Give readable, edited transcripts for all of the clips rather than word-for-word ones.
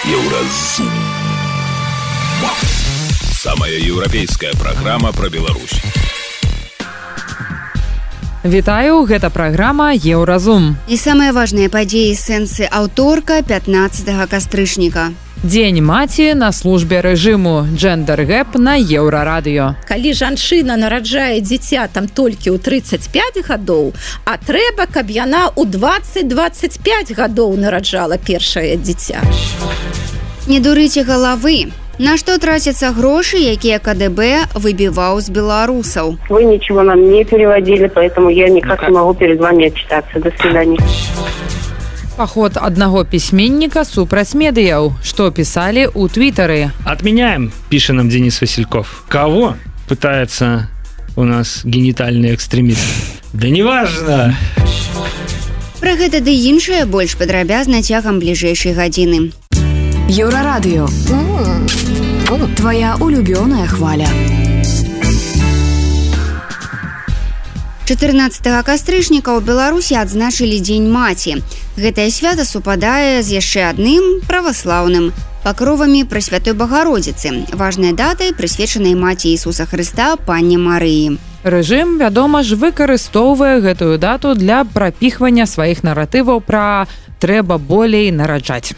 Еўразум. Самая еўрапейская праграма пра Беларусь. Вітаю, гэта праграма Еўразум. І самыя важныя падзеі сэнсы аўторка 15 кастрычніка. Дзень маці на службе рэжыму. Джендер-гэп на Еўрарадыё. Калі жанчына нараджае дзіця там толькі ў 35 гадоў, а трэба, каб яна ў 20-25 гадоў нараджала першае дзіця. Не дурыце галавы. На што трацяцца грошы, якія КДБ выбіваў з беларусаў? Вы ничего нам не переводили, поэтому я никак не могу перед вами отчитаться. До свидания. Паход аднаго пісьменніка супраць медыяў. Што пісалі ў Твиттары? Отменяем, пишет нам Денис Васильков. Кого? Пытается у нас генитальный экстремист. Да неважно. Пра гэта ды іншае больш падрабязна цягам бліжэйшай гадзіны. Еўрарадыё. Твоя улюбёная хваля. 14 кастрычніка ў Беларусі адзначылі Дзень маці. Гэтае свята супадае з яшчэ адным праваслаўным пакровамі Пресвятой Багародзіцы, важнай датай, прысвечанай маці Ісуса Хрыста, Панне Марыі. Рэжым, вядома ж, выкарыстоўвае гэтую дату для прапіхвання сваіх наратываў пра «трэба болей нараджаць».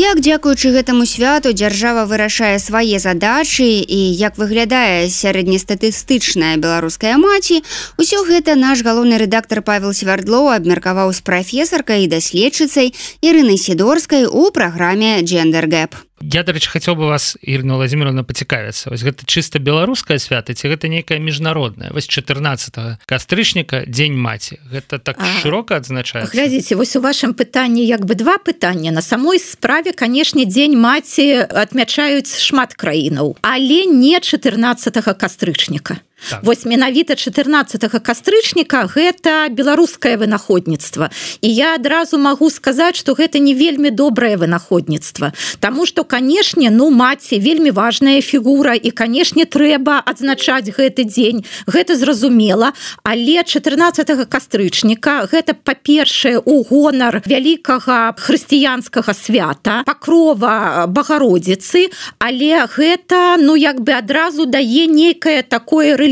Як дзякуючы гэтаму святу дзяржава вырашае свае задачы і як выглядае сярэднестатыстычная беларуская маці, усё гэта наш галоўны рэдактар Павел Свярдлоў абмеркаваў з прафесаркай і даследчыцай Ірынай Сідорскай у праграме «Джендер-гэп». Я, до речі, хотел бы вас, Ірина Владимировна, поцікавіцца. Вось гэта чыста беларускае свята, ці гэта нейкае міжнароднае? Вось 14 кастрычніка Дзень маці. Гэта так шырока адзначаецца? Глядзіце, вось у вашым пытанні як бы два пытання. На самой справе, канешне, Дзень маці адмячаюць шмат краінаў, але не 14 кастрычніка. Так. Вось менавіта 14 кастрычніка гэта беларускае вынаходніцтва. І я адразу магу сказаць, што гэта не вельмі добрае вынаходніцтва. Таму што, канешне, маці вельмі важная фігура і, канешне, трэба адзначаць гэты дзень. Гэта зразумела. Але 14 кастрычніка гэта, па-першае, у гонар вялікага хрысціянскага свята, пакрова Багародзіцы, але гэта, як бы адразу дае нейкае такое рэлігійнае,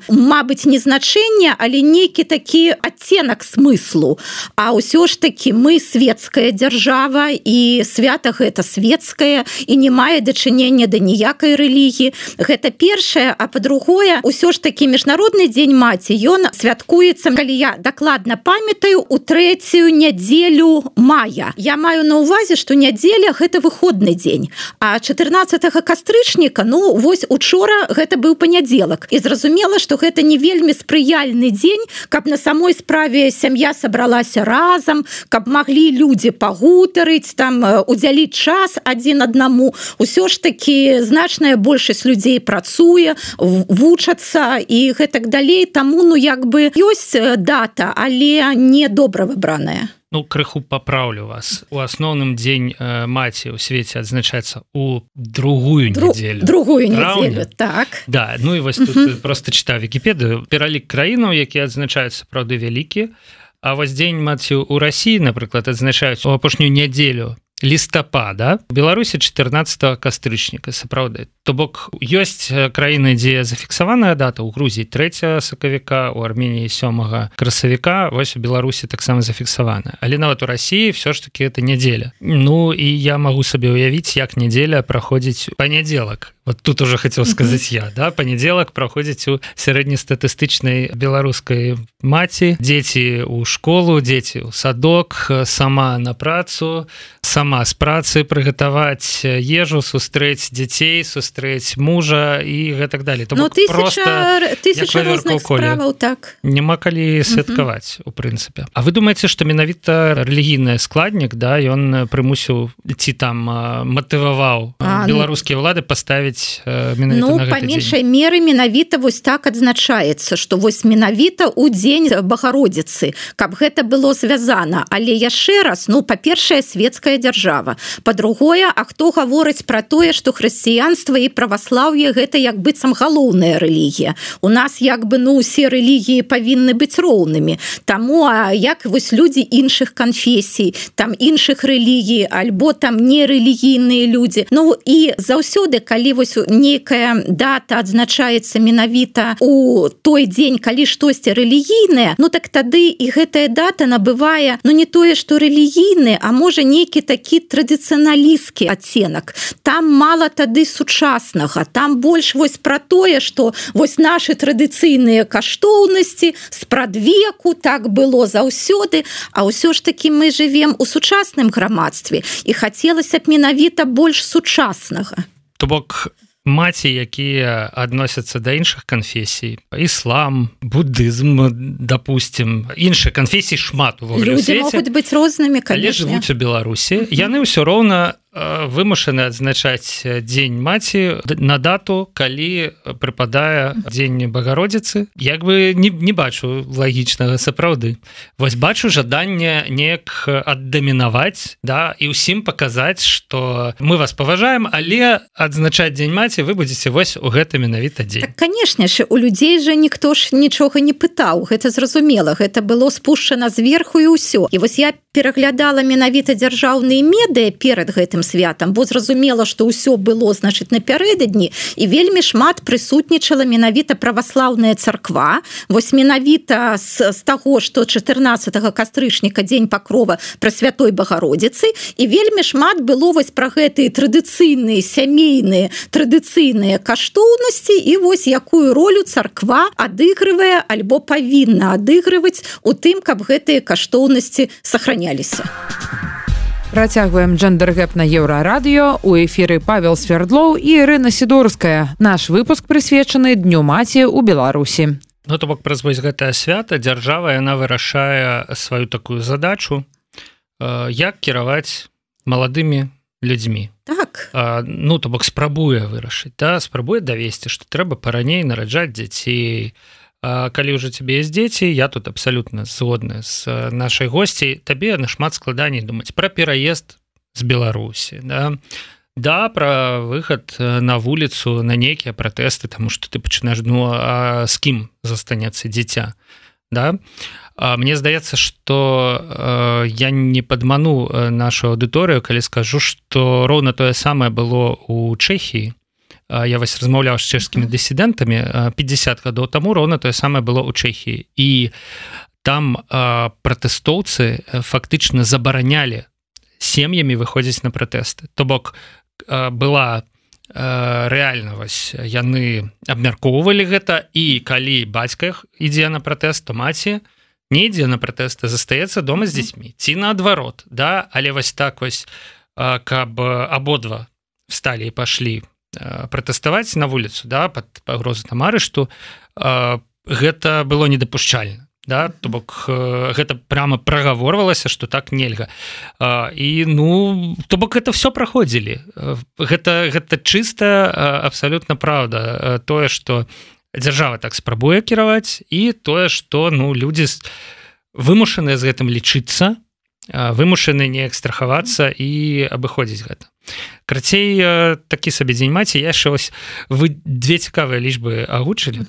мабыць, не значэнне, але нейкі такі адценак смыслу. А ўсё ж такі мы светская дзяржава, і свята гэта светскае, і не мае дачынення да ніякай рэлігіі. Гэта першае, а па-другое, ўсё ж такі міжнародны дзень маці, ён святкуецца, калі я дакладна памятаю, у 3-ю нядзелю мая. Я маю на ўвазе, што нядзеля гэта выходны дзень, а 14 кастрычніка, вось учора гэта быў панядзелак. І зразумела, што гэта не вельмі спрыяльны дзень, каб на самой справе сям'я сабралася разам, каб маглі людзі пагутарыць, там удзяліць час адзін аднаму. Усё ж такі значная большасць людзей працуе, вучацца і гэтак далей. Таму, як бы ёсць дата, але не добра выбраная. Крыху папраўлю вас. У асноўным дзень маці ў свеце адзначаецца у другую нядзелю. Другую нядзелю, так. Да, і вось тут просто чытаю Вікіпедыю. Пералік краінаў, якія адзначаюць сапраўды вялікі, а вось дзень маці ў Расіі, напрыклад, адзначаюць у апошнюю нядзелю лістапада. У Беларусі 14 кастрычніка, сапраўды. То бок, ёсць краіны, дзе зафіксаваная дата, у Грузіі 3 сакавіка, у Арменіі 7 красавіка, вось у Беларусі таксама зафіксавана. Але нават у Расіі ўсё ж такі гэта нядзеля. І я магу сабе ўявіць, як нядзеля праходзіць панядзелак. Вот тут уже хотел сказать я, да, панядзелак праходзіць у сярэднестатыстычнай беларускай маці, дзеці ў школу, дзеці ў садок, сама на працу, сама з працы прыгатаваць ежу, сустрэць дзяцей, сустрэць мужа і гэтак далее. Тысяча розных справаў, так. Няма калі святкаваць, у прынцыпе. А вы думаеце, што менавіта рэлігійны складнік, да, ён прымусіў ці там матываваў беларускія ўлады паставіць менавіта на гэты дзень? Па меншай меры менавіта вось так адзначаецца, што вось менавіта ў дзень Багародзіцы, каб гэта было звязана. Але яшчэ раз, па-першае, светская дзяржава. Па-другое, а хто гаворыць пра тое, што хрысціянства і праваслаўе гэта як быццам галоўная рэлігія. У нас як бы усе рэлігіі павінны быць роўнымі. Таму як вось людзі іншых канфесій, там іншых рэлігій, альбо там нерэлігійныя людзі. І заўсёды, калі вось нейкая дата адзначаецца менавіта у той дзень, калі штосьці рэлігійнае, так тады і гэтая дата набывае, не тое, што рэлігійны, а можа нейкі такі традыцыяналісцкі адценак. Там мала тады сучаснага, там больш вось пра тое, што вось нашы традыцыйныя каштоўнасці спрадвеку, так было заўсёды, а ўсё ж такі мы жывем у сучасным грамадстве і хацелася б менавіта больш сучаснага. То бок маці, якія адносяцца да іншых канфесій, іслам, будызм, допустим, іншыя канфесіі шмат у свеце. Людзі могуць быць рознымі, канешне. Але жывуць у Беларусі, яны ўсё роўна вымушаны адзначаць дзень маці на дату, калі прыпадае дзень Багародзіцы. Як бы не бачу лагічнага сапраўды. Вось бачу жаданне неяк аддамінаваць, да, і ўсім паказаць, што мы вас паважаем, але адзначаць дзень маці вы будзеце вось у гэты менавіта дзень. Так, канешне ж, у людзей жа ніхто ж нічога не пытаў, гэта зразумела, гэта было спушчана зверху і ўсё. І вось я пераглядала менавіта дзяржаўныя медыа перад гэтым святам, бо зразумела, што ўсё было, значыць, напярэдадні, і вельмі шмат прысутнічала менавіта праваслаўная царква. Вось менавіта з таго, што 14 кастрычніка дзень пакрова Прасвятой Багародзіцы, і вельмі шмат было вось пра гэтыя традыцыйныя сямейныя традыцыйныя каштоўнасці і вось якую ролю царква адыгрывае альбо павінна адыгрываць у тым, каб гэтыя каштоўнасці сохраняліся. Працягваем джендер-гэп на Еўрарадыё. У эфіры Павел Свердлоў і Ірына Сідорская. Наш выпуск прысвечаны Дню маці ў Беларусі. То бок праз вось гэтае свята дзяржава яна вырашае сваю такую задачу, як кіраваць маладымі людзьмі. Так. То бок спрабуе вырашыць, да? Спрабуе давесці, што трэба параней нараджаць дзяцей. Калі ўжо цябе ёсць дзеці, я тут абсалютна згодны з нашай госцей, табе нашмат складаней думаць пра пераезд з Беларусі, да, пра выхад на вуліцу на нейкія пратэсты, таму што ты пачынаеш, з кім застанецца дзіця, да? Мне здаецца, што я не падману нашу аўдыторыю, калі скажу, што роўна тое самае было ў Чэхіі. Я вось размаўляў з чэшскімі дысідэнтамі 50 гадоў таму, роўна тое самае было ў Чэхіі. І там пратэстоўцы фактычна забаранялі сем'ямі выходзіць на пратэсты. То бок была рэальна, вось яны абмяркоўвалі гэта, і калі бацька ідзе на пратэст, то маці не ідзе на пратэст, а застаецца дома з дзецьмі. Ці наадварот, да? Але вось так вось, каб абодва всталі і пашлі пратэставаць на вуліцу, да, пад пагрозу там арышту, гэта было недапушчальна, да? То бок гэта прямо прагаворвалася, што так нельга. І то бок гэта все праходзілі. Гэта чыста абсалютна праўда. Тое, што дзяржава так спрабуе кіраваць, і тое, што людзі вымушаныя з гэтым лічыцца, вымушаны неяк страхавацца і абыходзіць гэта. Крацей, такі сабе дзень маці. Я яшчэ вось, вы две цікавыя лічбы агучылі.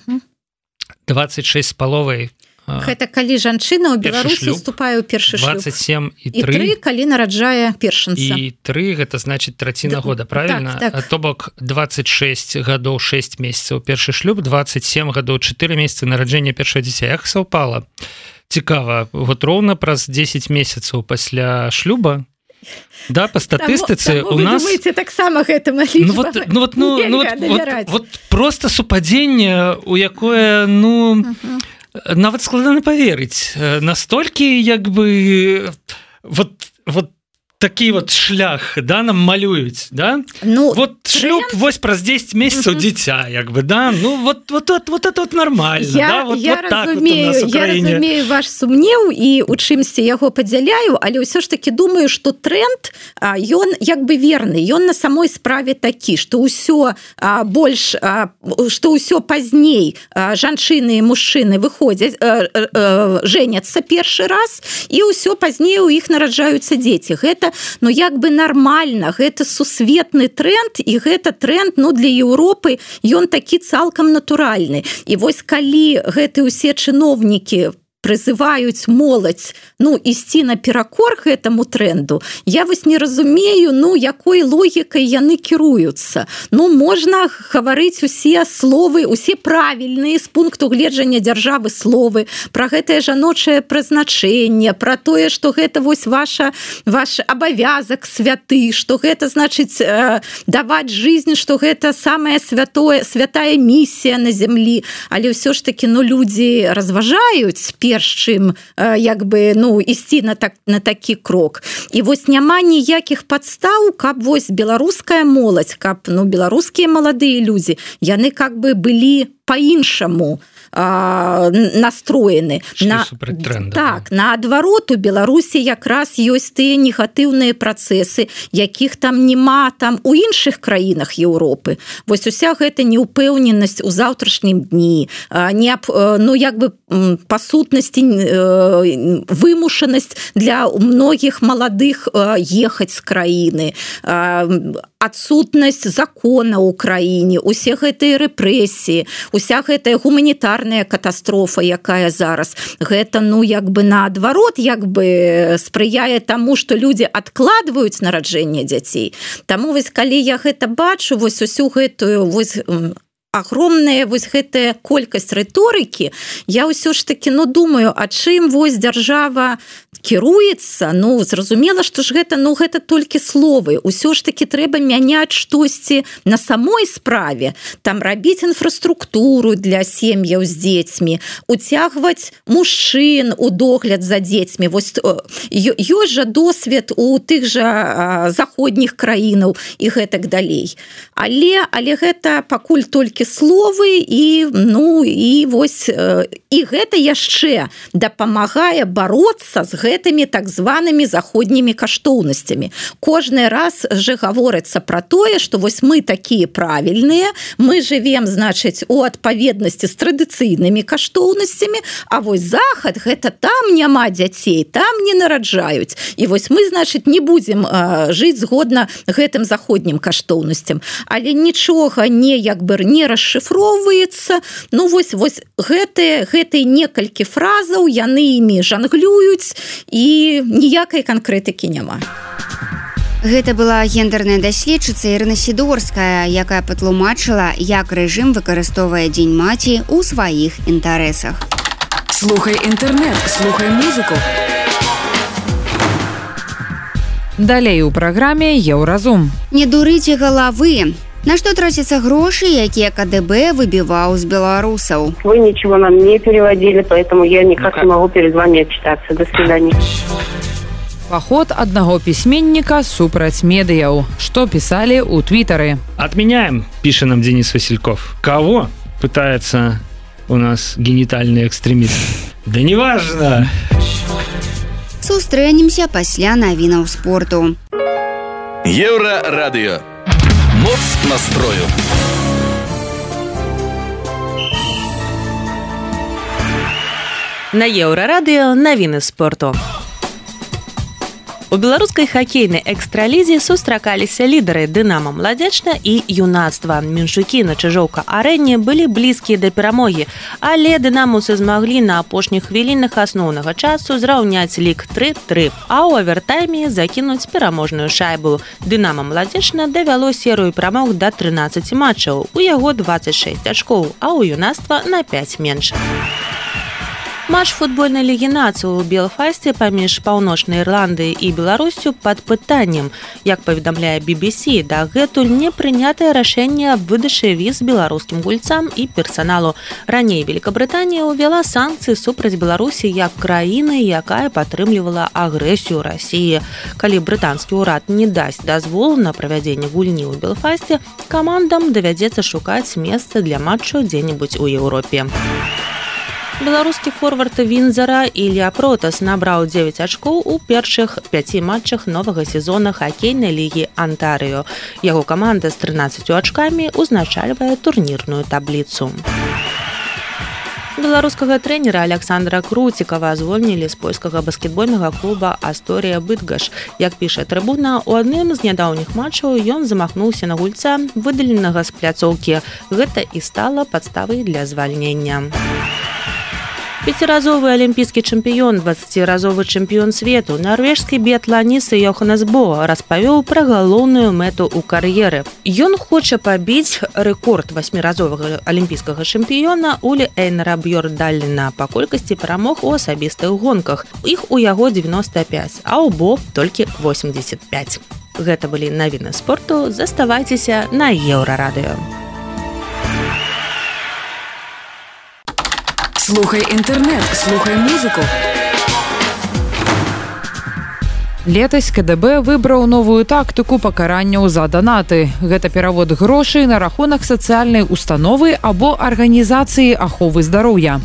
26 з паловай. Гэта калі жанчына ў Беларусі уступае ў першы шлюб. 27 і 3, калі нараджае першынца. І 3, гэта значыць траціна года, правільна? Так. То бок 26 гадоў 6 месяцаў першы шлюб, 27 гадоў 4 месяцы нараджэння першага дзіця. Як саўпала? Цікава. Вот роўна праз 10 месяцаў пасля шлюба, да, по статыстыцы у нас... Вы думаеце, таксама гэтым лічба? Вот просто супадзенне, у якое, нават складана паверыць. Настолькі, як бы, вот такі вот шлях, да, нам малююць, да? Вот шлюб вось праз 10 месяцаў дзіця, як бы, да? Вот это нормально, да? Вот так вот у нас у краіне. Я разумею ваш сумнеў і у чымсьці яго падзяляю, але ўсё ж таки думаю, што тренд, ён як бы верны, ён на самой справе такі, што ўсё больш, што ўсё пазней жанчыны і мужчыны выходзяць, женяцца першы раз, і ўсё пазней у іх нараджаюцца дзеці. Гэта ну як бы нармальна, гэта сусветны тренд, і гэта тренд, ну для Еўропы ён такі цалкам натуральны. І вось калі гэты ўсе чыноўнікі прызываюць моладзь, ну, ісці наперакор гэтаму тренду, я вось не разумею, ну, якой логікай яны кіруюцца. Ну, можна гаварыць усе словы, усе правільныя з пункту гледжання дзяржавы словы, пра гэтае жаночае прызначэнне, пра тое, што гэта вось ваш абавязак святы, што гэта значыць даваць жизнь, што гэта самая святая місія на зямлі. Але ўсё ж такі, ну, людзі разважаюць чым як бы, ну, ісці на такі крок. І вось няма ніякіх падстаў, каб вось беларуская моладзь, каб, ну, беларускія маладыя людзі, яны как бы былі па-іншаму настроены. Так, наадварот, у Беларусі якраз ёсць тыя негатыўныя працэсы, якіх там няма там у іншых краінах Еўропы. Вось уся гэта неўпэўненасць у заўтрашнім дні, ну, як бы па сутнасці вымушанасць для многіх маладых ехаць з краіны, адсутнасць закона ў краіне, усе гэтыя рэпрэсіі, уся гэтая гуманітарная катастрофа, якая зараз, гэта, ну, як бы наадварот, як бы спрыяе таму, што людзі адкладваюць нараджэнне дзяцей. Таму вось калі я гэта бачу, вось усю гэтую вось агромная вось гэтая колькасць рыторыкі, я ўсё ж такі, ну, думаю, а чым вось дзяржава кіруецца, ну, зразумела, што ж гэта, ну, гэта толькі словы. Усё ж такі трэба мяняць штосьці на самой справе, там рабіць інфраструктуру для сем'яў з дзецьмі, уцягваць мужчын у догляд за дзецьмі. Вось ёсць жа досвед у тых жа заходніх краінаў і гэтак далей. Але гэта пакуль толькі словы, і, ну, і вось і гэта яшчэ дапамагае бароцца з гэтымі так званымі заходнімі каштоўнасцямі. Кожны раз же гаворыцца пра тое, што вось мы такія правільныя, мы жывем, значыць, у адпаведнасці з традыцыйнымі каштоўнасцямі, а вось захад, гэта там няма дзяцей, там не нараджаюць. І вось мы, значыць, не будзем жыць згодна гэтым заходнім каштоўнасцям. Але нічога не, як бы, не расшыфроўваецца. Ну, вось гэтыя некалькі фразаў, яны імі жанглююць, і ніякай канкрэтыкі няма. Гэта была гендерная даследчыца Ірына Сідорская, якая патлумачыла, як рэжым выкарыстоўвае Дзень маці ў сваіх інтарэсах. Слухай інтэрнэт, слухай музыку. Далей у праграме Еўразум. Не дурыце галавы. На што трацяцца грошы, якія КДБ выбіваў з беларусаў? Вы ничего нам не переводили, поэтому я никак не могу перед вами отчитаться. До свидания. Паход аднаго пісьменніка супраць медыяў. Што пісалі ў твітары? Отменяем, пишет нам Денис Васильков. Кого? Пытается у нас генитальный экстремист. Да неважно. Сустрэнемся пасля навінаў спорту. Еўрарадыё. Моц настрою. На Еўрарадыё навіны спорту. У беларускай хакейнай экстралізе сустракаліся лідары Дынамо Младзечна і Юнацтва. Меншукі на Чыжоўка-арэне былі блізкія да перамогі, але дынамаўцы змаглі на апошніх хвілінах асноўнага часу зраўняць лік 3-3, а ў авертайме закінуць пераможную шайбу. Дынамо Младзечна давяло серыю перамог да 13 матчаў, у яго 26 ачкоў, а ў Юнацтва на 5 менш. Матч футбольнай лігі нацый у Белфасце паміж Паўночнай Ірландыяй і Беларусю пад пытаннем. Як паведамляе BBC, дагэтуль не прынятае рашэнне аб выдачы віз беларускім гульцам і персаналу. Раней Великабрытанія ўвяла санкцыі супраць Беларусі як краіны, якая падтрымлівала агрэсію Расіі. Калі брытанскі ўрад не дасць дазвол на правядзенне гульні ў Белфасце, камандам давядзецца шукаць месца для матчу дзе-небудзь у Еўропе. Беларускі форвард Вінзара Ілля Протас набраў 9 ачкоў у першых 5 матчах новага сезона хакейнай лігі Антарыё. Яго каманда з 13 ачкамі ўзначальвае турнірную табліцу. Беларускага трэнера Александра Круцікава звольнілі з польскага баскетбольнага клуба «Асторія Быдгаш». Як піша Трыбуна, у адным з нядаўніх матчаў ён замахнуўся на гульца, выдаленага з пляцоўкі. Гэта і стала падставай для звальнення. Пяціразовы алімпійскі чэмпіён, 20-разовы чэмпіён свету, нарвежскі біятланіст Йоханнес Бо распавёў пра галоўную мэту ў кар'еры. Ён хоча пабіць рэкорд 8-разовага алімпійскага чэмпіёна Улі Эйнара Бьёрдалена па колькасці перамог у асабістых гонках. Іх у яго 95, а ў Бо толькі 85. Гэта былі навіны спорту. Заставайцеся на Еўрарадыё. Слухай інтэрнэт, слухай музыку. Летась КДБ выбраў новую тактыку пакаранняў за данаты. Гэта перавод грошай на рахунак сацыяльнай установы або арганізацыі аховы здароўя.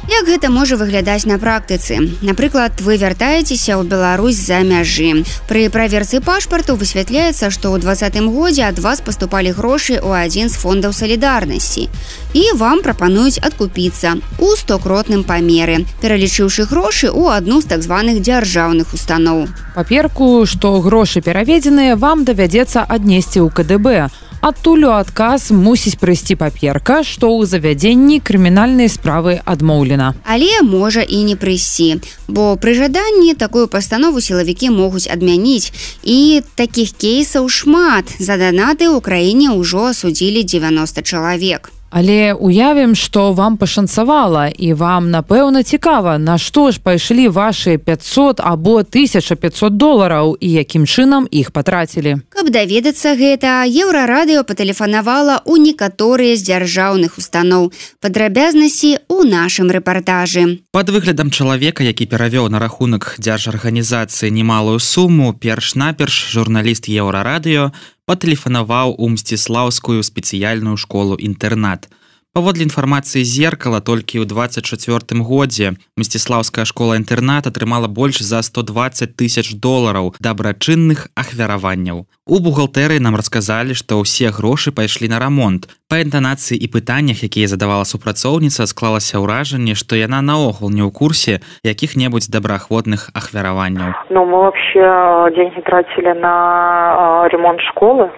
Як гэта можа выглядаць на практыцы? Напрыклад, вы вяртаецеся ў Беларусь за мяжы. Пры праверцы пашпарту высвятляецца, што ў 2020 годзе ад вас паступалі грошы ў адзін з фондаў салідарнасці. І вам прапануюць адкупіцца у 100-кротным памеры, пералічыўшы грошы ў адну з так званых дзяржаўных устаноў. Паперку, што грошы пераведзеныя, вам давядзецца аднесці ў КДБ. Адтуль у адказ мусіць прыйсці паперка, што ў завядзенні крымінальнай справы адмоўлена. Але можа і не прыйсці, бо пры жаданні такую пастанову сілавікі могуць адмяніць. І такіх кейсаў шмат. За данаты ў краіне ўжо асудзілі 90 чалавек. Але уявім, што вам пашанцавала, і вам, напэўна, цікава, на што ж пайшлі вашыя 500 або 1500 долараў і якім чынам іх патрацілі. Каб даведацца гэта, Еўрарадыё патэлефанавала ў некаторыя з дзяржаўных устаноў. Падрабязнасці ў нашым рэпартажы. Пад выглядам чалавека, які перавёў на рахунак дзяржарганізацыі немалую суму, перш-наперш журналіст Еўрарадыё патэлефанаваў у Мсціслаўскую спецыяльную школу-інтэрнат. Паводле інфармацыі «Зеркала», толькі ў 24 годзе Мсціслаўская школа-інтэрнат атрымала больш за 120 000 долараў дабрачынных ахвяраванняў. У бухгалтэрыі нам расказалі, што ўсе грошы пайшлі на рамонт. Па інтанацыі і пытаннях, якія задавала супрацоўніца, склалася ўражанне, што яна наогул не ў курсе якіх-небудзь добраахвотных ахвяраванняў. Мы вообще деньги тратили на ремонт школы.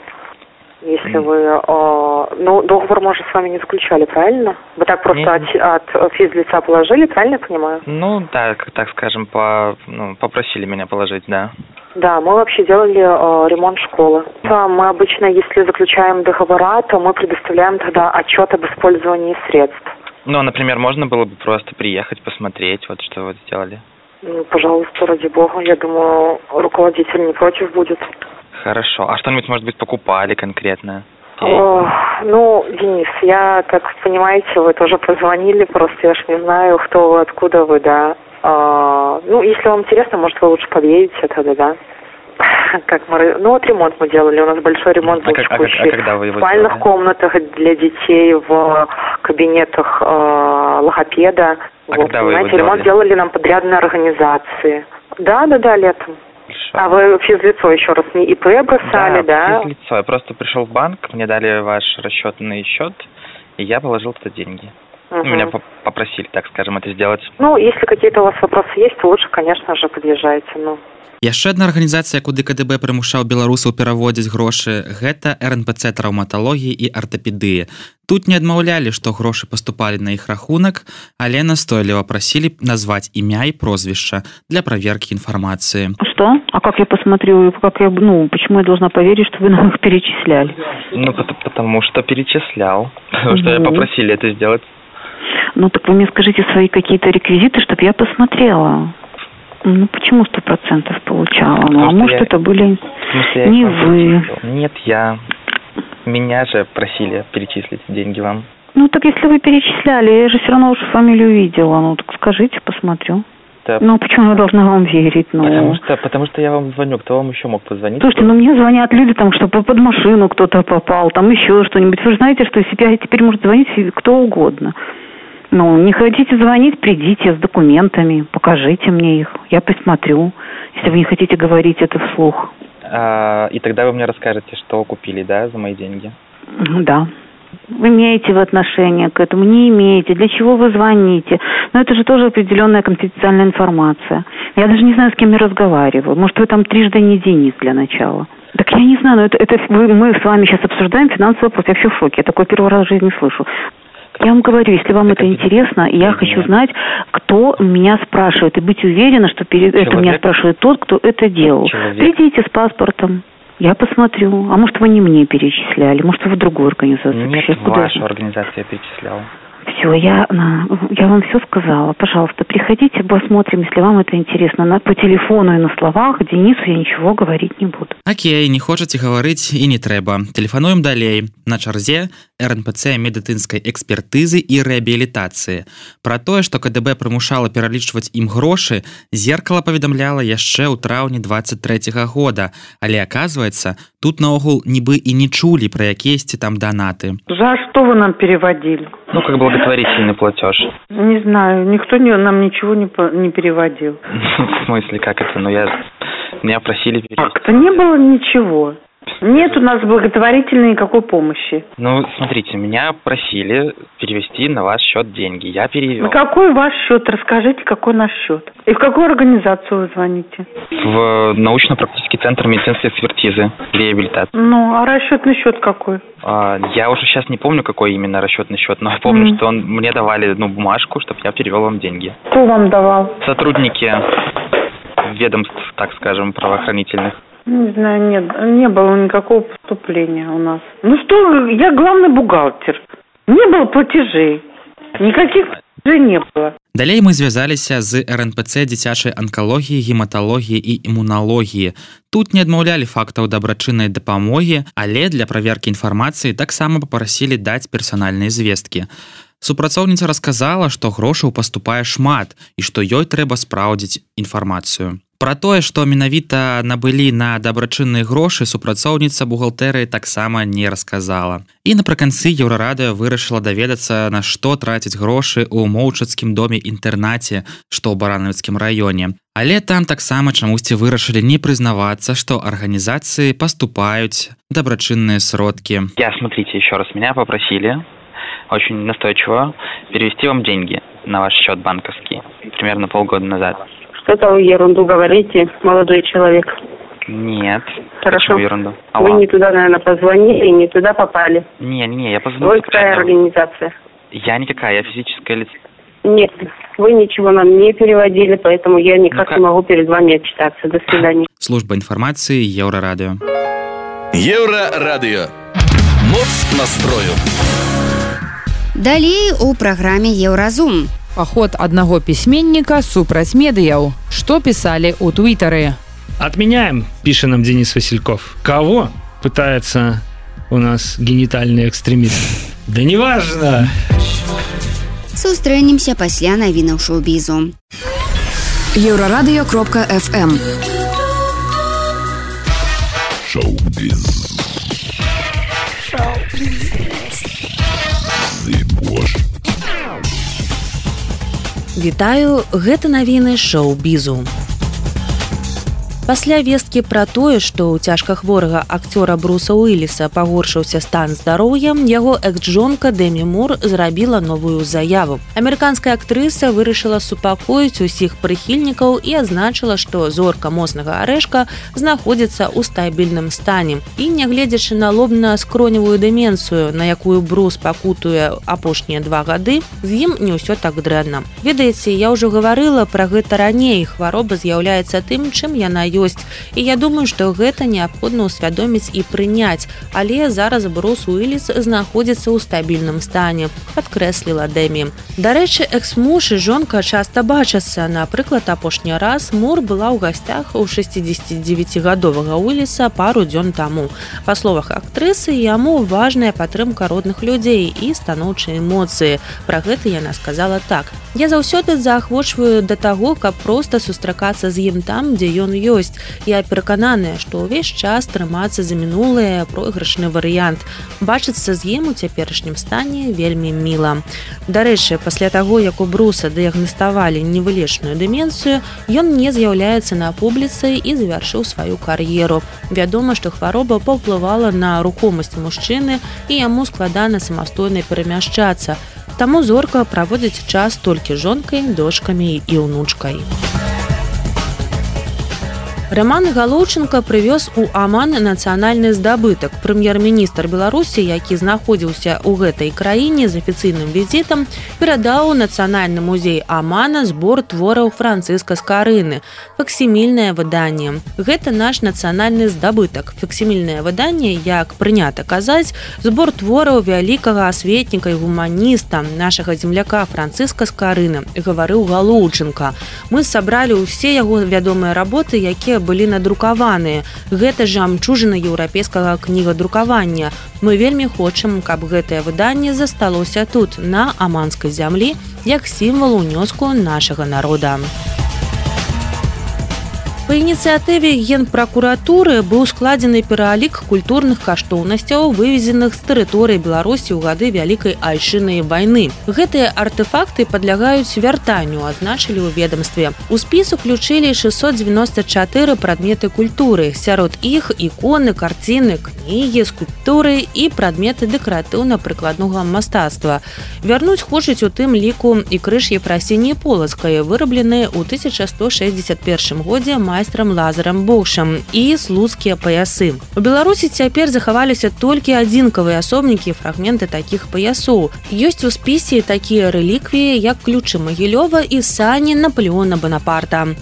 Если вы... договор мы же с вами не заключали, правильно? Вы так просто от физлица положили, правильно я понимаю? Да, так скажем, попросили меня положить, да. Да, мы вообще делали ремонт школы. Мы обычно, если заключаем договора, то мы предоставляем тогда отчет об использовании средств. Например, можно было бы просто приехать, посмотреть, что вы сделали? Пожалуйста, ради бога. Я думаю, руководитель не против будет. Хорошо. А что-нибудь, может быть, покупали конкретно? Денис, я, как понимаете, вы тоже позвонили, просто я ж не знаю, кто вы, откуда вы, да. Если вам интересно, может, вы лучше подъедете тогда, да. Ремонт мы делали, у нас большой ремонт был текущий. Когда вы его в спальных комнатах для детей, в кабинетах логопеда. Когда вы его делали? Ремонт делали нам подрядные организации. Да, летом. А вы физлицо еще раз не ИП бросали, да? Физлицо. Я просто пришел в банк, мне дали ваш расчетный счет, и я положил туда деньги. Меня попросили, так скажем, это сделать. Если какие-то у вас вопросы есть, то лучше, конечно же, подъезжайте, Яшчэ адна арганізацыя, куды КДБ прымушаў беларусаў пераводзіць грошы, гэта РНПЦ траўматалогіі і артапедыі. Тут не адмаўлялі, што грошы паступалі на іх рахунак, але настойліва прасілі назваць імя і прозвішча для праверкі інфармацыі. Что? А как я посмотрю, почему я должна поверить, что вы нам их перечисляли? Потому что перечислял. Потому что попросили это сделать. Так вы мне скажите свои какие-то реквизиты, чтобы я посмотрела. Почему 100% получала? Может, это были не вы? Нет, я. Меня же просили перечислить деньги вам. Так если вы перечисляли, я же все равно уже фамилию видела. Так скажите, посмотрю. Да. Почему я должна вам верить? Потому что я вам звоню. Кто вам еще мог позвонить? Слушайте, мне звонят люди, что под машину кто-то попал, еще что-нибудь. Вы же знаете, что теперь может звонить кто угодно. Не хотите звонить, придите с документами, покажите мне их, я посмотрю, если вы не хотите говорить это вслух. И тогда вы мне расскажете, что купили, да, за мои деньги? Да. Имеете вы отношение к этому, не имеете, для чего вы звоните. Но это же тоже определенная конфиденциальная информация. Я даже не знаю, с кем я разговариваю. Может, вы там трижды не Денис для начала. Так я не знаю, но мы с вами сейчас обсуждаем финансовый вопрос. Я вообще в шоке. Я такой первый раз в жизни слышу. Я вам говорю, если вам это интересно, я хочу знать, кто меня спрашивает. И быть уверена, что это меня спрашивает тот, кто это делал. Придите с паспортом. Я посмотрю. А может, вы не мне перечисляли? Может, вы в другую организацию? Нет, в вашу организацию я перечислял. Все, я вам все сказала. Пожалуйста, приходите, посмотрим, если вам это интересно. По телефону и на словах Денису я ничего говорить не буду. Окей, не хочаце гаварыць і не трэба. Тэлефануем далей. На чарзе РНПЦ медыцынскай экспертызы і рэабілітацыі. Пра тое, што КДБ прымушала пералічваць ім грошы, Зеркала паведамляла яшчэ ў траўні 23-го года. Але, оказывается, тут наогул нібы і не чулі пра якіесьці там донаты. За что вы нам переводили? Ну, как благотворительный платеж. Не знаю, никто нам ничего не переводил. В смысле, как это? Меня просили перевести. Как-то не было ничего. Нет у нас благотворительной никакой помощи. Ну, смотрите, меня просили перевести на ваш счет деньги. Я перевел. На какой ваш счет? Расскажите, какой наш счет. И в какую организацию вы звоните? В научно-практический центр медицинской экспертизы, реабилитации. Ну, а расчетный счет какой? Я уже сейчас не помню, какой именно расчетный счет, но я помню, что мне давали бумажку, чтобы я перевел вам деньги. Кто вам давал? Сотрудники ведомств, так скажем, правоохранительных. Не знаю, нет, не было никакого поступления у нас. Ну что, я главный бухгалтер. Не было платежей. Никаких платежей не было. Далей мы звязаліся з РНПЦ дзіцячай анкалогіі, гематалогіі і імуналогіі. Тут не адмаўлялі фактаў дабрачыннай дапамогі, але для праверкі інфармацыі таксама папрасілі даць персанальныя звесткі. Супрацоўніца расказала, што грошаў паступае шмат і што ёй трэба спраўдзіць інфармацыю. Пра тое, што менавіта набылі на дабрачынныя грошы, супрацоўніца бухгалтэрыі таксама не расказала. І напрыканцы Еўрарадыё вырашыла даведацца, на што траціць грошы ў моўчацкім доме-інтэрнаце, што ў Баранавіцкім раёне. Але там таксама чамусьці вырашылі не прызнавацца, што арганізацыі паступаюць дабрачынныя сродкі. Смотрите, еще раз, меня попросили очень настойчиво перевести вам деньги на ваш счет банковский примерно полгода назад. Что-то вы ерунду говорите, молодой человек. Нет. Хорошо. Ерунду? Вы не туда, наверное, позвонили, не туда попали. Не, я позвонил. Вы какая организация? Я никакая, я физическое лицо. Нет, вы ничего нам не переводили, поэтому я никак не могу перед вами отчитаться. До свидания. Служба информации Еўрарадыё. Еўрарадыё. Моц настрою. Далей у праграме Еўразум. Паход аднаго пісьменніка супраць медыяў. Што пісалі ў Твиттары? Отменяем, пишет нам Денис Васильков. Кого? Пытается у нас генитальный экстремист. Да неважно. Сустрэнемся пасля навінаў шоу-бізу. Еўрарадыё.фм. Шоу-біз. Вітаю, гэта навіны шоу-бізу. Пасля весткі пра тое, што ў цяжка хворага акцёра Бруса Уіліса пагоршыўся стан здароўя, яго экс-жонка Дэмі Мур зрабіла новую заяву. Амерыканская актрыса вырашыла супакоіць усіх прыхільнікаў і адзначыла, што зорка моцнага арэшка знаходзіцца ў стабільным стане. І, нягледзячы на лобна-скроневую дэмінцыю, на якую Брус пакутуе апошнія 2 гады, з ім не ўсё так дрэнна. Ведаеце, я ўжо гаварыла пра гэта раней, хвароба з'яўляецца тым, чым яна ёсць. І я думаю, што гэта неабходна ўсвядоміць і прыняць. Але зараз Брус Уіліс знаходзіцца ў стабільным стане, падкрэсліла Дэмі. Дарэчы, экс-муж і жонка часта бачацца. Напрыклад, апошні раз Мур была ў гасцях у 69-гадовага Уіліса пару дзён таму. Па словах актрысы, яму важная падтрымка родных людзей і станоўчыя эмоцыі. Пра гэта яна сказала так. Я заўсёды заахвочваю да таго, каб проста сустракацца з ім там, дзе ён ёсць. ёсць. Я перакананая, што ўвесь час трымацца за мінулае пройгрышны варыянт. Бачыцца з ім у цяперашнім стане вельмі міла. Дарэчы, пасля таго, як у Бруса дыягнаставалі невылечную дэмінцыю, ён не з'яўляецца на публіцы і завяршыў сваю кар'еру. Вядома, што хвароба паўплывала на рухомасць мужчыны і яму складана самастойна перамяшчацца. Таму зорка праводзіць час толькі жонкай, дочкамі і ўнучкай. Роман Галоўченко прывёз у Аман нацыянальны здабытак. Прэм'ер-міністр Беларусі, які знаходзіўся ў гэтай краіне з афіцыйным візітам, перадаў у Нацыянальны музей Амана збор твораў Францыска Скарыны. Факсімільнае выданне. Гэта наш нацыянальны здабытак. Факсімільнае выданне, як прынята казаць, збор твораў вялікага асветніка і гуманіста, нашага земляка Францыска Скарыны, гаварыў Галоўченко. Мы сабралі ўсе яго вядомыя работы, якія былі надрукаваныя. Гэта жамчужына еўрапейскага кнігадрукавання. Мы вельмі хочам, каб гэтае выданне засталося тут, на аманскай зямлі, як сімвал унёску нашага народа. Па ініцыятыве Генпракуратуры быў складзены пералік культурных каштоўнасцяў, вывезеных з тэрыторыі Беларусі ў гады Вялікай Айчыннай вайны. Гэтыя артэфакты падлягаюць вяртанню, азначылі ў ведамстве. У спіс уключылі 694 прадметы культуры. Сярод іх іконы, карціны, кнігі, скульптуры і прадметы дэкаратыўна-прыкладнога мастацтва. Вярнуць хочуць у тым ліку і крыж Ефрасініі Полацкай, выраблены ў 1161 годзе майстрам Лазарам Богшам, і слуцкія паясы. У Беларусі цяпер захаваліся толькі адзінкавыя асобнікі і фрагменты такіх паясоў. Ёсць у спісе такія рэліквіі, як ключы Магілёва і сані Наполеона Банапарта.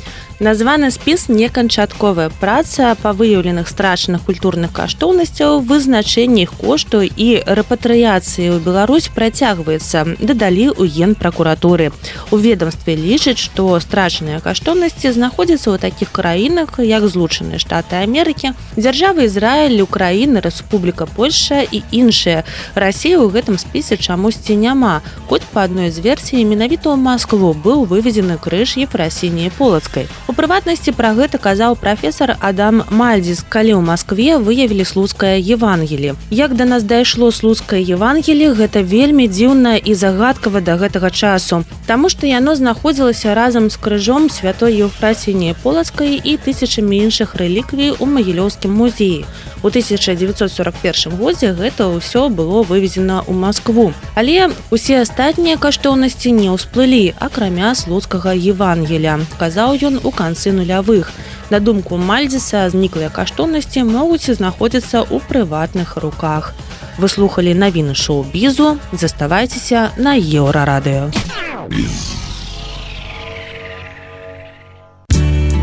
Названы спіс неканчатковая праца па выяўленых страчаных культурных каштоўнасцяў, вызначэнні іх кошту і рэпатрыяцыі ў Беларусь працягваецца, дадалі ў Генпракуратуры. У ведамстве лічаць, што страчаныя каштоўнасці знаходзяцца ў такіх краінах, як Злучаныя Штаты Амерыкі, дзяржавы Ізраіль, Украіна, Рэспубліка Польшча і іншыя. Расія ў гэтым спісе чамусьці няма. Хоць па адной з версій менавіта ў Маскву быў вывезены крыж Ефрасініі Полацкай. У прыватнасці пра гэта казаў прафесар Адам Мальдзіс, калі ў Маскве выявілі слуцкае Евангелі. Як да нас дайшло слуцкае Евангелі, гэта вельмі дзіўна і загадкава да гэтага часу, таму што яно знаходзілася разам з крыжом святой Ефрасініі Полацкай і тысячамі іншых рэліквій у Магілёўскім музеі. У 1941 годзе гэта ўсё было вывезена ў Маскву. Але усе астатнія каштоўнасці не ўсплылі, акрамя слуцкага Евангеля, казаў ён у канцы нулявых. На думку Мальдзіса, зніклыя каштоўнасці могуць знаходзіцца ў прыватных руках. Вы слухалі навіны шоу-бізу. Заставайцеся на Еўрарадыё.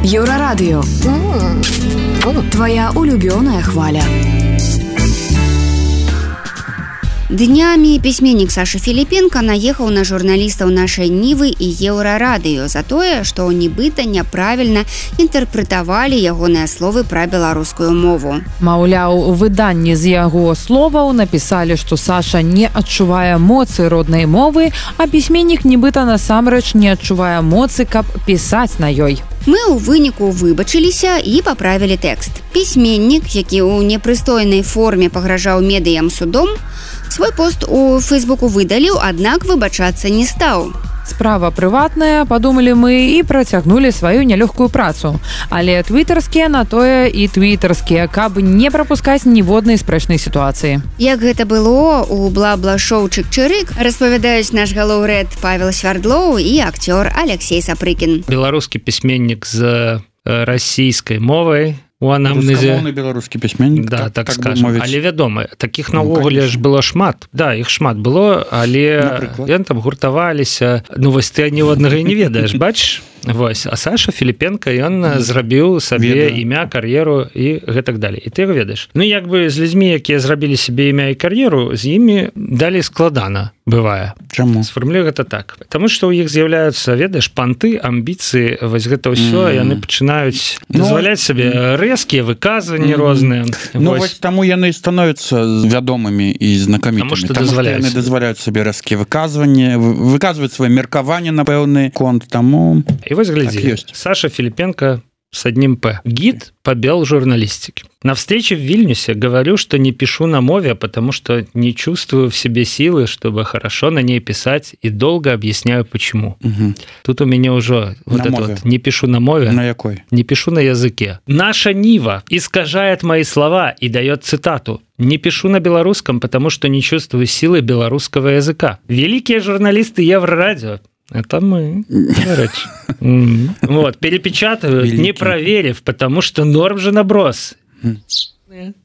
Еўрарадыё. Твоя улюбёная хваля. Днямі пісьменнік Саша Філіпенка наехаў на журналістаў нашай Нівы і Еўрарадыё за тое, што нібыта няправільна інтэрпрэтавалі ягоныя словы пра беларускую мову. Маўляў, у выданні з яго словаў напісалі, што Саша не адчувае моцы роднай мовы, а пісьменнік нібыта насамрэч не адчувае моцы, каб пісаць на ёй. Мы ў выніку выбачыліся і паправілі тэкст. Пісьменнік, які ў непрыстойнай форме пагражаў медыям судом, свой пост у Фейсбуку выдаліў, аднак выбачацца не стаў. Справа прыватная, падумалі мы і працягнулі сваю нялёгкую працу. Але твітарскія на тое і твітарскія, каб не прапускаць ніводнай спрэчнай сітуацыі. Як гэта было у бла-бла-шоу «Чык-чырык», распавядаюць наш галоўрэд Павел Свярдлоў і акцёр Алексей Сапрыкін. Беларускі пісьменнік з расійскай мовай, у анамнезе. Рускамоўны беларускі пісьменнік, да, так скажем. Але вядома, такіх наогуле ж было шмат. Да, іх шмат было, але яны там гуртаваліся. Ну вось ты ні аднаго і не ведаеш, бачиш? Вось, а Саша Філіпенка, ён зрабіў сабе імя, кар'еру і гэтак далей. І ты яго ведаеш. Ну, як бы з людзьмі, якія зрабілі сабе імя і кар'еру, з імі далей складана бывае. Чаму? Сфармулюю гэта так. Таму што ў іх з'яўляюцца, ведаеш, панты, амбіцыі, вось гэта ўсё, яны пачынаюць дазваляць сабе рэзкія выказванні розныя. Ну, вось таму яны становяцца вядомымі і знакамітымі. Таму што яны дазваляюць сабе рэзкія выказванні, выказваюць свае меркаванні на пэўны конт, таму... І вось глядзі, так Саша Філіпенка с одним «П». Гид по белжурналистике. На встрече в Вильнюсе говорю, что не пишу на мове, потому что не чувствую в себе силы, чтобы хорошо на ней писать, и долго объясняю, почему. Угу. Тут у меня уже вот это вот «не пишу на мове». На якой? Не пишу на языке. Наша Нива искажает мои слова и дает цитату. Не пишу на белорусском, потому что не чувствую силы белорусского языка. Великие журналисты Еврорадио. Это мы. Вот, перепечатывают, не проверив, потому что норм же наброс.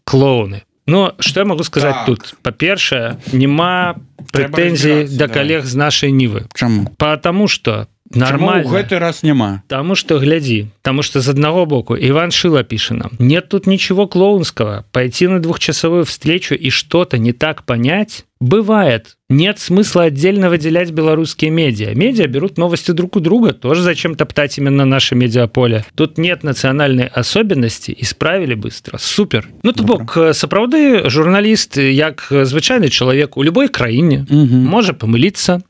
Клоуны. Ну, что я могу сказать тут? По-перше, нема прэтэнзій да калег з нашай Нівы. Чаму? Потому что нормально. Чаму ў гэты раз няма? Потому что, гляди, потому что с одного боку Иван Шила пишет нам, нет тут ничего клоунского, пойти на двухчасовую встречу и что-то не так понять бывает. Нет смысла отдельно выделять белорусские медиа. Медиа берут новости друг у друга, тоже зачем топтать именно наше медиаполе. Тут нет национальной особенности, исправили быстро. Супер. Ну, то бок, сапраўды журналіст, як звычайны чалавек у любой краіне, можа памыліцца,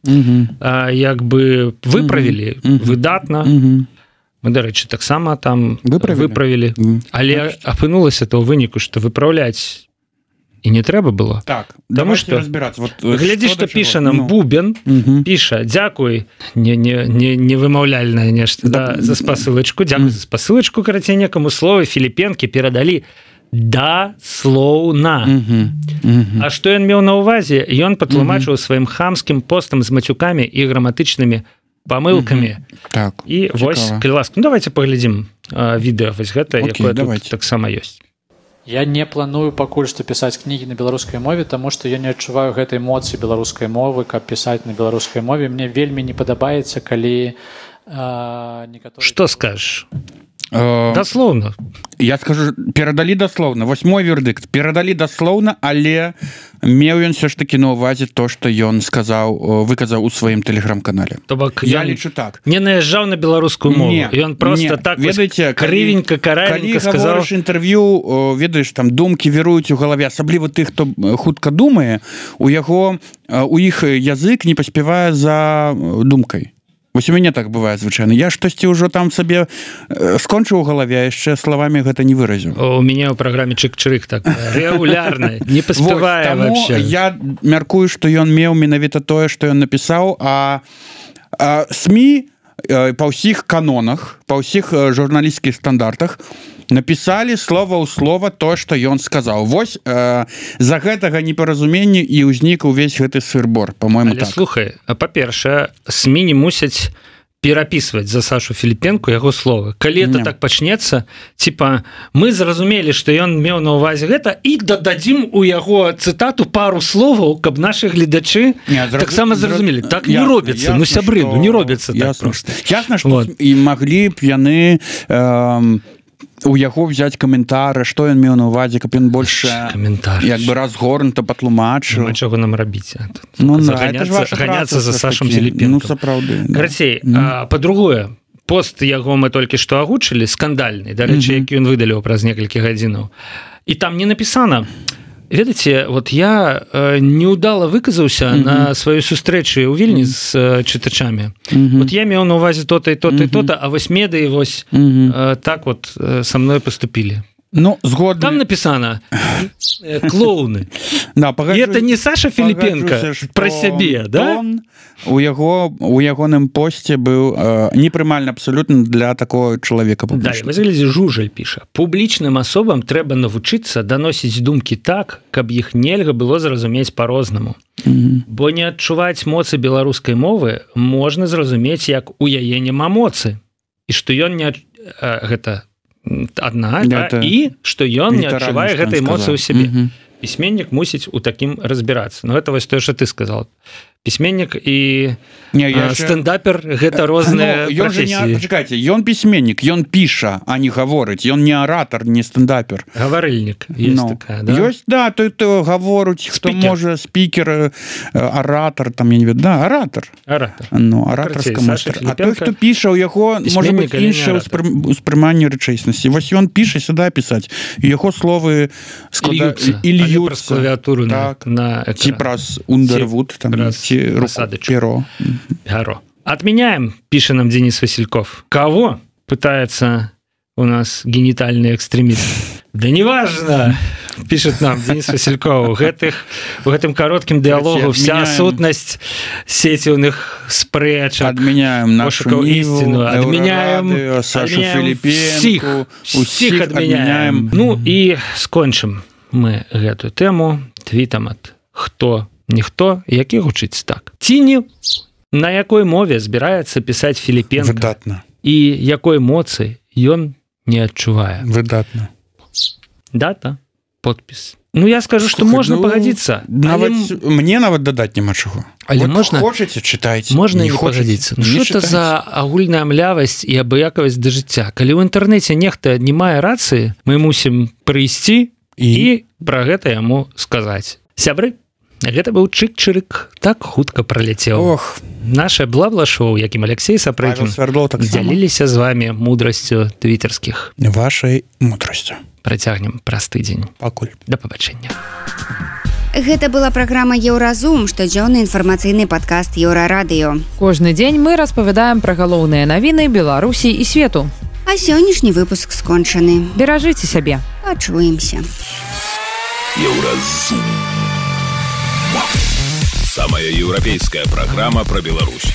як бы выправілі выдатна. Мы, дарэчы, таксама там выправілі. Але апынулася то ў выніку, што выпраўляць и не трэба было. Так, давайте что, разбираться. Вот, глядзі, што піша нам Бубен, піша, дзякуй, не вымаўляльнае нешта, да, за спасылачку, дзякуй за спасылачку, карацей, некаму словы Філіпенкі перадалі даслоўна. А што ён меў на ўвазе? Ён патлумачыў сваім хамскім постам з мацюкамі і граматычнымі памылкамі. Так, і вось, калі ласка, ну давайте паглядзім відэо вось гэта, якое тут таксама ёсць. Я не планую пакуль што пісаць кнігі на беларускай мове, таму што я не адчуваю гэтай эмоцыі беларускай мовы, каб пісаць на беларускай мове. Мне вельмі не падабаецца, калі некаторыя... Што скажаш? Даслоўна. Я скажу, перадалі даслоўна. Вось мой вердыкт. Перадалі даслоўна, але меў ён все ж таки на ўвазе то, што ён выказаў у сваім тэлеграм-канале. То бок, я лічу так. Не наязджаў на беларускую мову. Ён просто так крывенька, каравенька сказаў. Калі гаворыш інтэрв'ю, ведаеш, там думкі віруюць у галаве, асабліва тых, хто хутка думае, у іх язык не паспявае за думкай. Вось у мяне так бывае звычайна. Я штосьці ўжо там сабе скончыў у галаве, яшчэ словамі гэта не выразіў. У мяне ў праграме чык-чырык так рэгулярна, не паспявае вообще. Я мяркую, што ён меў менавіта тое, што ён напісаў, а СМІ па ўсіх канонах, па ўсіх журналісцкіх стандартах напісалі слова ў слова то, што ён сказаў. Вось за гэтага непаразумення і ўзнік увесь гэты сыр-бор, па-мойму, так. Але слухай, па-першае, СМІ не мусяць перапісваць за Сашу Філіпенку яго словы. Калі это так пачнецца, типа, мы зразумелі, што ён меў на ўвазе гэта, і дададзім у яго цытату пару словаў, каб нашы гледачы таксама зразумелі. Так не робіцца, ну сябры, ну не робіцца так проста. Ясна, што і маглі б яны у яго взять каментары, што ён меў на ўвазе, каб ён больш як бы разгорнута патлумачыў. Чаго нам рабіць? Ганяцца за Сашам Філіпенкам. Ну, сапраўды. Карацей, па-другое, пост яго мы толькі што агучылі, скандальны, дарэчы, які ён выдаліў праз некалькі гадзінаў. І там не напісана, ведаеце, вот я неудала выказаўся на сваёй сустрэчы ў Вільні з чытачамі. Вот я меў на ўвазе то-то і то-то і то-то, а вось медыі вось так вот са мной паступілі. Ну, згодны. Там написано клоуны. Да, и это не Саша Філіпенка про сябе, да? У ягоным посце быў непрымальны абсолютно для такого чалавека публічна. Да, вы заглядзі, Жужаль піша. Публічным асобам трэба навучыцца даносіць думкі так, каб іх нельга было зразумець по-рознаму. Бо не адчуваць моцы беларускай мовы можна зразумець, як у яе няма моцы. І што ён не гэта адна, да, і што ён не адчувае гэтай эмоцыі ў сябе. Пісьменнік мусіць у такім разбірацца. Ну, гэта вось тое, што ты сказал. Пісьменнік і стендапер — гэта розныя прафесіі. Пачакайце, ён пісьменнік, ён піша, а не гаворыць. Ён не аратар, не стендапер. Гаварыльнік ёсць такая, да? Ёсць, да, той гаворыць, хто можа, спікер, аратар, там, я не ведаю, да, аратар. Аратар. Ну, аратарска майстар. А той, хто піша, у яго, можа быць, іншае ўспрыманне рэчаіснасці. Вось ён піша сюда пісаць, і яго словы складаюцца, і льюцца. Праз клавіатуру на экран. Ці праз Underwood, там, перо. Отменяем, пишет нам Денис Васильков. Кого пытается у нас генітальны экстрэміст. Да неважно, пишет нам Денис Васильков, в гэтым кароткім дыалогу вся сутнасць сеціўных спрэчак, пошукаў ісціну, адмяняем Сашу Філіпенку, усіх адмяняем. Ну і скончым мы гэтую тэму твітам ад хто ніхто, які гучыць так. Ці не на якой мове збіраецца пісаць Філіпенка выдатна і якой эмоцыі ён не адчувае. Выдатна. Дата, подпіс. Ну я скажу, што можна пагадзіцца. Мне нават дадаць няма чаго. Але можна хочаце чытайце. Можна не пагадзіцца. Ну што это за агульная млявасць і абыякавасць да жыцця? Калі ў інтэрнэце нехта не мае рацыі, мы мусім прыйсці і пра гэта яму сказаць. Сябры, гэта быў чык-чырык, так хутка праляцеў. Ох, наше бла-бла-шоу, якім Алексей Сапрыкін дзяліліся з вами мудрасцю твіттерскіх. Вашай мудрасцю. Працягнем праз тыдзень. Пакуль. Да пабачэння. Гэта была праграма Еўразум, штодзённы інфармацыйны падкаст Еўрарадыё. Кожны дзень мы распавядаем пра галоўныя навіны Беларусі і свету. А сённяшні выпуск скончаны. Беражыце сябе. Пачуемся. Еўразум. Самая еўрапейская программа про Беларусь.